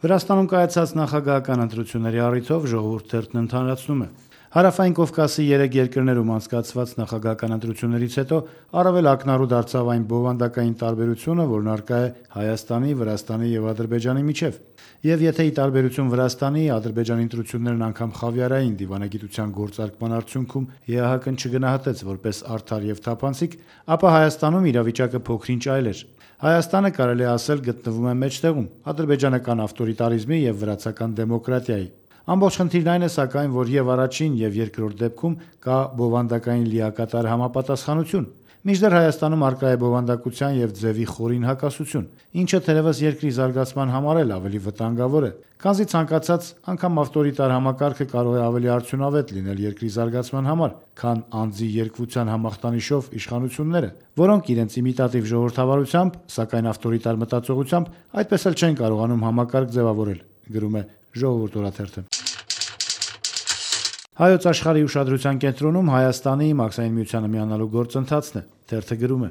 Վրաստանում կայացած նախագահական ընտրությունների առիթով Ժողովուրդ թերթն ընդհանրացնում է. Հարավային Կովկասի 3 երկրներում անցկացված նախագահական ընտրություններից հետո առավել ակնառու դարձավ այն բովանդակային տարբերությունը, որն առկա է Հայաստանի, Վրաստանի և Ադրբեջանի միջև։ Եվ եթե ի տարբերություն Վրաստանի, Ադրբեջանի ընտրություններն անգամ խավիարային դիվանագիտության գործարկման արդյունքում ԵԱՀԿ-ն չգնահատեց որպես արդար և թափանցիկ, ապա Հայաստանում իրավիճակը փոքր-ինչ այլ էր։ Հայաստանը, կարելի է ասել, գտնվում է մեջտեղում՝ ադրբեջանական ավտորիտարիզմի և վրացական դեմոկրատիայի։ Ամբողջ խնդիրն այն է, սակայն, որ և առաջին, և երկրորդ դեպքում կա բովանդակային լիակատար համապատասխանություն։ Մինչդեռ Հայաստանում առկա է բովանդակության և ձևի խորին հակասություն, ինչը թերևս երկրի զարգացման համար էլ ավելի վտանգավոր է, քանզի ցանկացած, անգամ ավտորիտար համակարգը կարող է ավելի արդյունավետ լինել երկրի զարգացման համար, քան անձի երկվության համախտանիշով իշխանությունները, որոնք իրենց իմիտատիվ ժողովրդավարությամբ, սակայն ավտորիտար մտածողությամբ այդպես էլ չեն կարողանում համակարգ ձևավորել, գրում է Ժողովուրդ օրաթերթը։ Հայոց աշխարհի ուշադրության կենտրոնում Հայաստանի Մաքսային միությանը միանալու գործընթացն է։ Թերթը գրում է.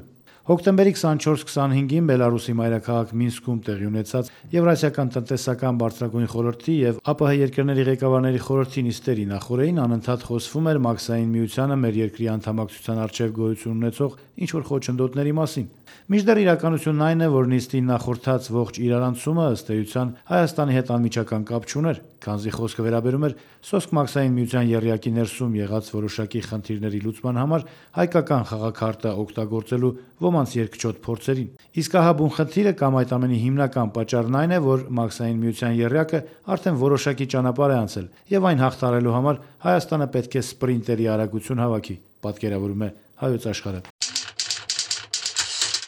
Հոկտեմբերի 24-25-ին Բելարուսի մայրաքաղաք Մինսկում տեղի ունեցած Եվրասիական տնտեսական բարձրագույն խորհրդի և ԱՊՀ երկրների ղեկավարների խորհրդի նիստերի նախօրեին անընդհատ խոսվում էր Մաքսային միությանը մեր երկրի անդամակցության առջև գոյություն ունեցող ինչ-որ խոչընդոտների մասին։ Մինչդեռ իրականությունն այն է, որ նիստին նախորդած ողջ իրարանցումը ըստ էության Հայաստանի հետ անմիջական կապ չուներ, քանզի խոսքը վերաբերում էր սոսկ Մաքսային միության եռյակի ներսում եղած որոշակի խնդիրների լուծման համար հայկական խաղաքարտը օգտագործելու ոմանց երկչոտ փորձերին։ Իսկ ահա բուն խնդիրը կամ այդ ամենի հիմնական պատճառն այն է, որ Մաքսային միության եռյակը արդեն որոշակի ճանապարհ է անցել, եւ այն հաղթահարելու համար Հայաստանը պետք է սպրինտերի արագություն հավաքի, պատկերավորում է Հայոց աշխարհը։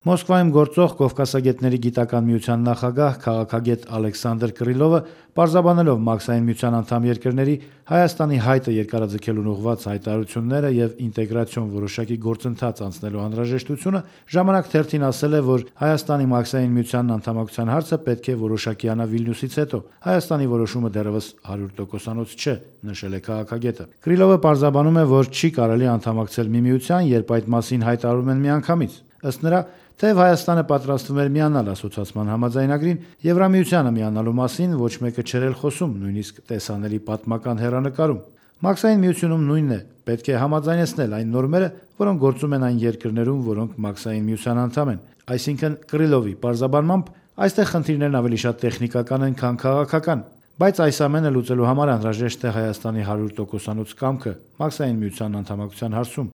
Մոսկվայում գործող Կովկասագետների գիտական միության նախագահ, քաղաքագետ Ալեքսանդր Կռիլովը, պարզաբանելով Մաքսային միության անդամ երկրների Հայաստանի հայտը երկարաձգելուն ուղղված հայտարարությունները եւ ինտեգրացիոն որոշակի գործընթաց անցնելու անհրաժեշտությունը, Ժամանակ թերթին ասել է, որ Հայաստանի Մաքսային միությանն անդամակցության հարցը պետք է որոշակի անա Վիլնյուսից հետո։ Հայաստանի որոշումը դեռևս 100%-անոց չէ, նշել է քաղաքագետը։ Կռիլովը պարզաբանում է, որ չի կարելի անդամակցել մի միության, երբ այդ մասին հայտարարում են միանգամից։ Ըստ նրա, թեև Հայաստանը պատրաստվում էր միանալ ասոցիացման համաձայնագրին, Եվրամիությանը միանալու մասին ոչ մեկը չէր էլ խոսում, նույնիսկ տեսանելի պատմական հեռանկարում։ Մաքսային միությունում նույնն է, պետք է համաձայնեցնել այն նորմերը, որոնք գործում են այն երկրներում, որոնք Մաքսային միության անդամ են։ Այսինքն, Կռիլովի պարզաբանմամբ, այստեղ խնդիրներն ավելի շատ տեխնիկական են, քան քաղաքական, բայց այս ամենը լուծելու համար անհրաժեշտ է Հայաստանի 100%-անոց կամքը Մաքսային միության անդամակցության հարցում։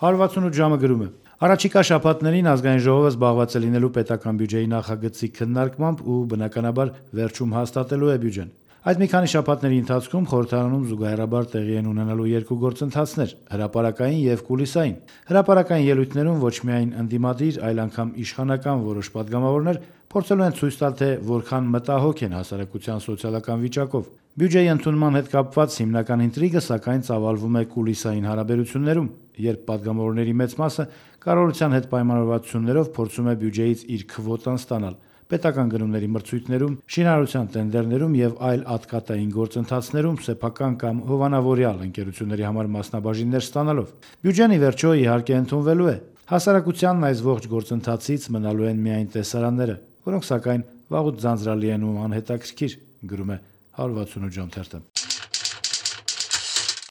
168 ժամը գրում է. Առաջիկա շաբաթներին Ազգային ժողովը զբաղված է լինելու պետական բյուջեի նախագծի քննարկմամբ ու բնականաբար վերջում հաստատելու է բյուջեն։ Այդ մի քանի շաբաթների ընթացքում խորհրդարանում զուգահեռաբար տեղի են ունենալու երկու գործընթացներ՝ հրապարակային և կուլիսային։ Հրապարակային ելույթներում ոչ միայն ընդդիմադիր, այլ անգամ իշխանական որոշ պատգամավորներ փորձելու են ցույց տալ, թե որքան մտահոգ են հասարակության սոցիալական վիճակով։ Բյուջեի ընդունման հետ կապված հիմնական ինտրիգը, սակայն, ծավալվում է կուլիսային հարաբերություններում, երբ պատգամավորների մեծ մասը կառավարության հետ պայմանավորվածություններով փորձում է բյուջեից իր քվոտան ստանալ պետական գնումների մրցույթներում, շինարարության տենդերներում եւ այլ ատկատային գործընթացներում սեփական կամ հովանավորյալ ընկերությունների համար մասնաբաժիններ ստանալով։ Բյուջեն ի վերջո իհարկե ընդունվելու է։ Հասարակությանն այս ողջ գործընթացից մնալու են միայն տեսարանները, որոնք սակայն վաղուց ձանձրալի են ու անհետաքրքիր, գրում է 168 ժամ թերթը։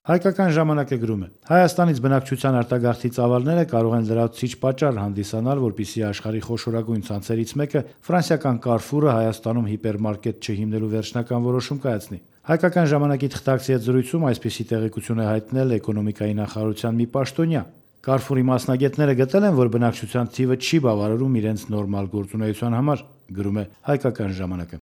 Հայկական ժամանակը գրում է. Հայաստանից բնակչության արտագաղթի ծավալները կարող են լրացուցիչ պատճառ հանդիսանալ, որպեսզի աշխարհի խոշորագույն ցանցերից մեկը ֆրանսիական Carrefour-ը Հայաստանում հիպերմարկետ չհիմնելու վերջնական որոշում կայացնի։ Հայկական ժամանակի թղթակցի հետ զրույցում այսպիսի տեղեկություն է հայտնել էկոնոմիկայի նախարարության մի պաշտոնյա։ Carrefour-ի մասնագետները գտել են, որ բնակչության թիվը չի բավարարում իրենց նորմալ գործունեության համար, գրում է Հայկական ժամանակը։